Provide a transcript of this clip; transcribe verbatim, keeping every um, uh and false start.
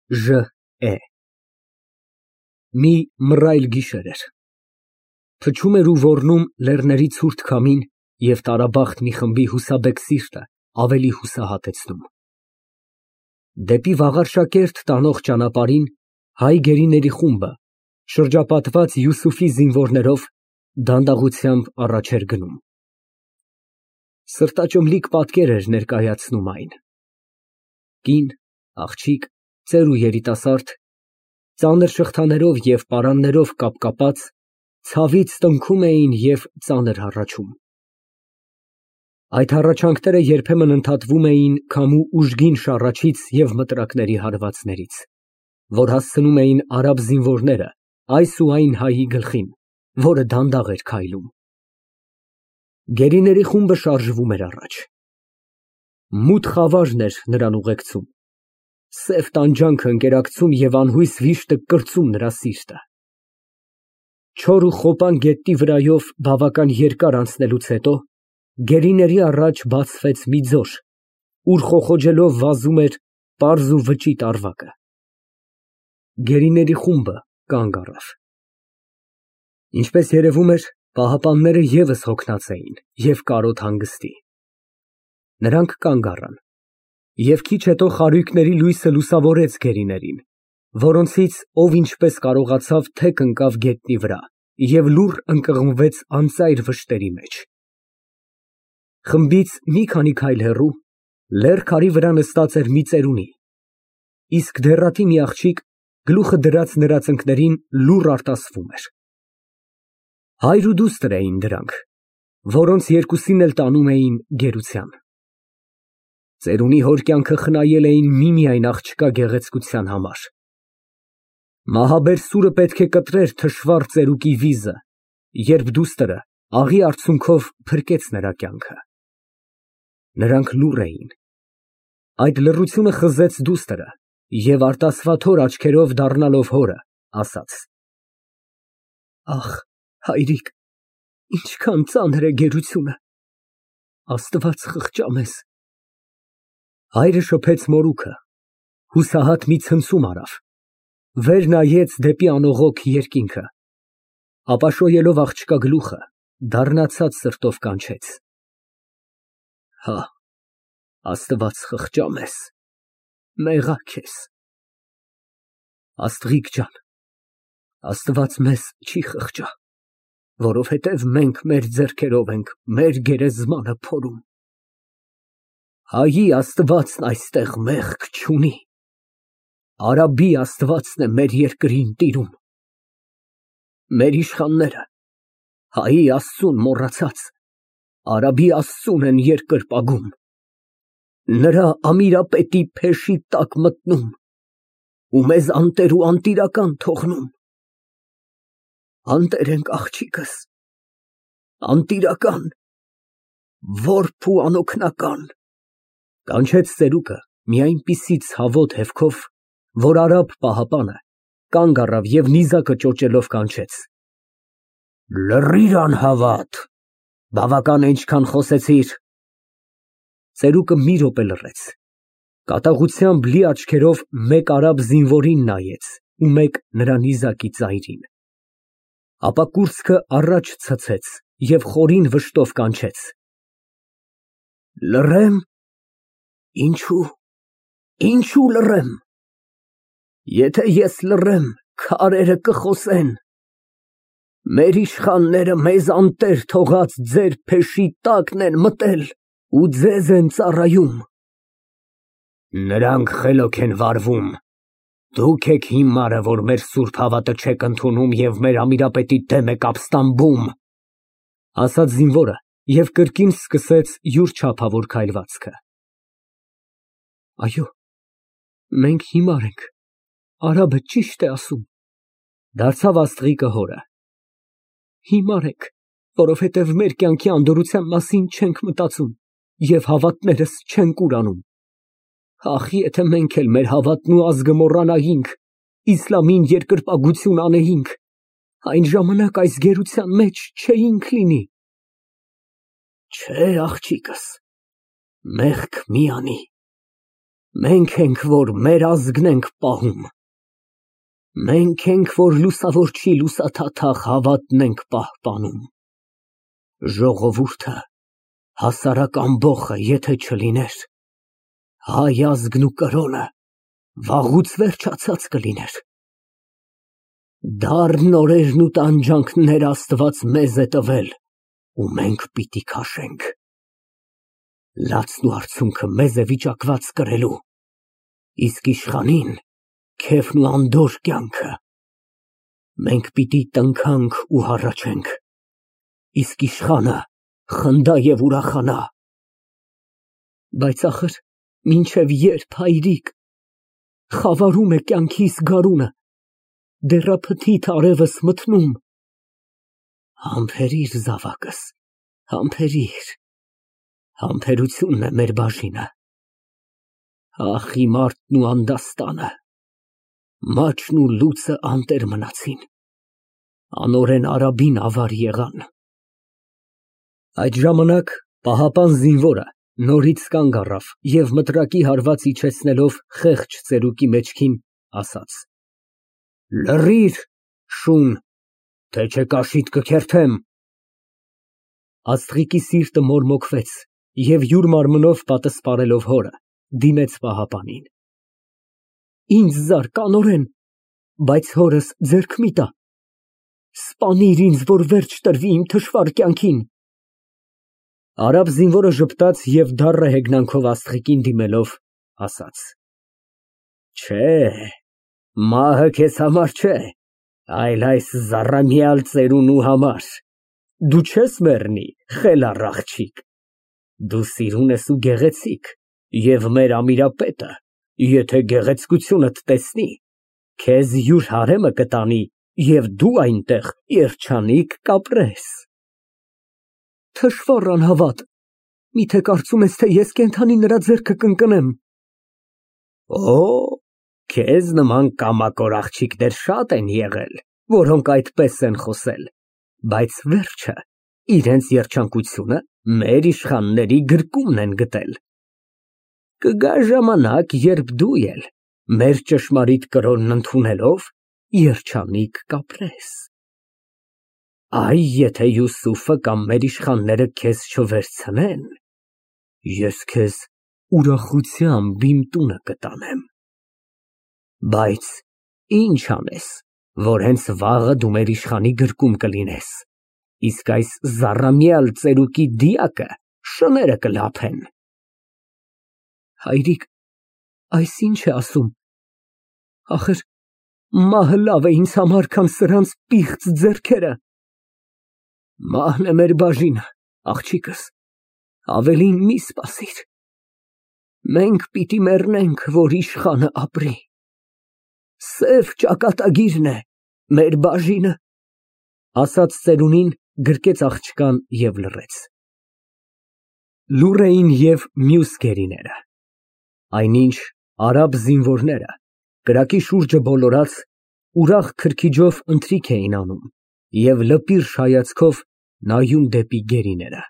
Ժ է Մի մռայլ գիշեր էր։ Փչում էր ու ոռնում լեռների ցուրտ քամին և տարաբախտ մի խմբի հուսաբեկ սիրտը ավելի հուսահատեցնում։ Դեպի Վաղարշակերտ տանող ճանապարհին հայ գերիների խումբը, շրջապատված Յուսուֆի զինվորներով, դանդաղությամբ առաջ էր գնում։ Սրտաճմլիկ պատկեր էր ներկայացնում այն. կին, աղջիկ, ծեր ու երիտասարդ, ծանր շղթաներով և պարաններով կապկապած, ցավից տնքում էին և ծանր հառաչում։ Այդ հառաչանքները երբեմն ընդհատվում էին քամու ուժգին շառաչից և մտրակների հարվածներից, որ հասցնում էին արաբ զինվորները այս ու այն հայի գլխին, որը դանդաղ էր քայլում։ Գերիների խումբը շարժվում էր առաջ։ Մութ խավարն էր նրան ուղեկցում, սև տանջանքը ընկերակցում և անհույս վիշտը կրծում նրա սիրտը։ Չոր ու խոպան գետնի վրայով բավական երկար անցնելուց հետո գերիների առաջ բացվեց մի ձոր, ուր խոխոջելով վազում էր պարզ ու վճիտ ավագը։ Գերիների խումբը կանգ առավ։ Ինչպես երևում էր, պահապանները ևս հոգնած էին և կարոտ հանգստի։ Նրանք կանգ առան, և քիչ հետո խարույկների լույսը լուսավորեց գերիներին, որոնցից ով ինչպես կարողացավ թեք ընկավ գետնի վրա և լուռ ընկղմվեց անծայր վշտերի մեջ։ Խմբից մի քանի քայլ հեռու, լեռ քարի վրա նստած էր մի ծերունի, իսկ դեռատի մի աղջիկ, գլուխը դրած նրա ծնկներին, լուռ արտասվում էր։ Հայր ու դուստր էին դրանք, որոնց երկուսին էլ տանում էին գերության։ Ծերունի հոր կյանքը խնայել էին միմիայն աղջկա գեղեցկության համար։ Մահաբեր սուրը պետք է կտրեր թշվառ ծերուկի վիզը, երբ դուստրը աղի արցունքով փրկեց նրա կյանքը։ Նրանք լուռ էին։ Այդ լռությունը խզեց դուստրը և արտասվաթոր աչքերով դառնալով հորը, ասաց. Ախ, հայրիկ, ինչքան ծանր է գերությունը, Աստված խղճա մեզ։ Հայրը շփեց մորուքը, հուսահատ մի ցնցում արավ, վեր նայեց դեպի անողոք երկինքը, ապա շոյելով աղջկա գլուխը, դառնացած սրտով կանչեց. Հա, Աստված խղճա մեզ, մեղա քեզ։ Աստղիկ ջան, Աստված մեզ չի խղճա, որովհետև մենք մեր ձեռքերով ենք մեր գերեզմանը փորում։ Հայի Աստվածն այստեղ մեղք չունի, արաբի Աստվածն է մեր երկրին տիրում։ Մեր իշխանները, հայի Աստծուն մոռացած, արաբի Աստծուն են երկրպագում, նրա ամիրապետի փեշի տակ մտնում ու մեզ անտեր ու անտիրական թողնում։ Անտեր ենք, աղջիկս, անտիրական, որբ ու անօգնական, կանչեց ծերուկը մի այնպիսի ցավոտ հևքով, որ արաբ պահապանը կանգ առավ և նիզակը ճոճելով կանչեց. Լռիր անհավատ, բավական է ինչքան խոսեցիր։ Ծերուկը մի րոպե լռեց, կատաղությամբ լի աչքերով մեկ արաբ զինվորին նայեց ու մեկ նրա նիզակի ծայրին, ապա կուրծքը առաջ ցցեց և խորին վշտով կանչեց. Լռե՞մ, ինչո՞ւ, ինչո՞ւ լռեմ, եթե ես լռեմ, քարերը կխոսեն, մեր իշխանները մեզ անտեր թողած ձեր փեշի տակն են մտել ու ձեզ են ծառայում։ Նրանք խելոք են վարվում, դուք եք հիմարը, որ մեր սուրբ հավատը չեք ընդունում և մեր ամիրապետի դեմ եք ապստամբում, ասաց զինվորը և կրկին սկսեց յուր չափավոր քայլվածքը։ Այո, մենք հիմար ենք, արաբը ճիշտ է ասում, դարձավ աստղիկը հորը։ Հիմար ենք, որովհետև մեր կյանքի անդորրության մասին չենք մտածում և հավատներս չենք ուրանում։ Ախ, եթե մենք էլ մեր հավատն ու ազգը մոռանայինք, իսլամին երկրպագություն անեինք, այն ժամանակ այս գերության մեջ չէինք լինի։ Չէ, աղջիկս, մեղք մի անի, Մենք ենք, որ մեր ազգն ենք պահում։ Մենք ենք, որ լուսավորչի լուսաթաթախ հավատն ենք պահպանում։ Ժողովուրդը, հասարակ ամբոխը, եթե չլիներ, հայ ազգն ու կրոնը վաղուց վերջացած կլիներ։ Դառն օրերն ու տանջանքներ Աստված մեզ է տվել, ու մենք պիտի քաշենք։ Լացն ու արցունքը մեզ է վիճակված կրելու, իսկ իշխանին քեֆն ու անդորր կյանքը։ Մենք պիտի տնքանք ու հառաչենք, իսկ իշխանը խնդա և ուրախանա։ Բայց ախր մինչև ե՞րբ, հայրիկ, խավարում է կյանքիս գարունը, դեռափթիթ արևս մթնում։ Համբերիր զավակս, համբերիր, համբերությունն է մեր բաժինը։ Ախ, իմ արտն ու անդաստանը, մաչն ու լուծը անտեր մնացին, անօրեն Արաբին ավար եղան։ Այդ ժամանակ պահապան զինվորը նորից կանգ առավ և մտրակի հարված իջեցնելով խեղճ ծերուկի մեջքին, ասաց. Լռիր, շուն, թե չէ կաշիդ կքերթեմ։ Աստղիկի սիրտը մորմոքվեց և յուր մարմնով պատսպարելով հորը, դիմեց պահապանին։ Ինձ զար կանորեն, բայց հորս ձեռք մի տա։ Սպանիր ինձ, որ վերջ տրվի իմ թշվառ կյանքին։ Արաբ զինվորը ժպտաց և դառը հեգնանքով աստղիկին դիմելով, ասաց. Չէ, մահը քեզ համար չէ, այլ այս զառամյալ ծերունու համար։ Դու չես մեռնի, խելառ աղջիկ։ Դու սիրուն ես ու գեղեցիկ, և մեր ամիրապետը, եթե գեղեցկությունդ տեսնի, քեզ յուր հարեմը կտանի, և դու այնտեղ երջանիկ կապրես։ Թշվառ անհավատ, միթե կարծում ես, թե ես կենդանի նրա ձեռքը կընկնեմ։ Օ, քեզ նման կամակոր աղջիկներ շատ են եղել, որոնք այդպես են խոսել, բայց վերջը իրենց երջանկությունը մեր իշխանների գրկումն են գտել։ Կգա ժամանակ, երբ դու էլ, մեր ճշմարիտ կրոնն ընդունելով, երջանիկ կապրես։ Այ եթե Յուսուֆը կամ մեր իշխանները քեզ չվերցնեն, ես քեզ ուրախությամբ իմ տունը կտանեմ։ Բայց ինչ անես, որ հենց վաղը դու մեր իշխանի գրկում կլինես, իսկ այս զառամյալ ծերուկի դիակը շները կլափեն։ Հայրիկ, այս ինչ է ասում։ Ախր մահը լավ է ինձ համար, քան սրանց պիղծ ձեռքերը։ Մահն է մեր բաժինը, աղջիկս, ավելին մի սպասիր։ Մենք պիտի մեռնենք, որ իշխանը ապրի։ Սև ճակատագիրն է մեր բաժինը, ասաց ծերունին, գրկեց աղջկան և լռեց։ Լուռ էին և մյուս գերիները, այնինչ արաբ զինվորները, կրակի շուրջը բոլորած, ուրախ քրքիջով ընթրիք էին անում և լպիրշ հայացքով նայում դեպի գերիները։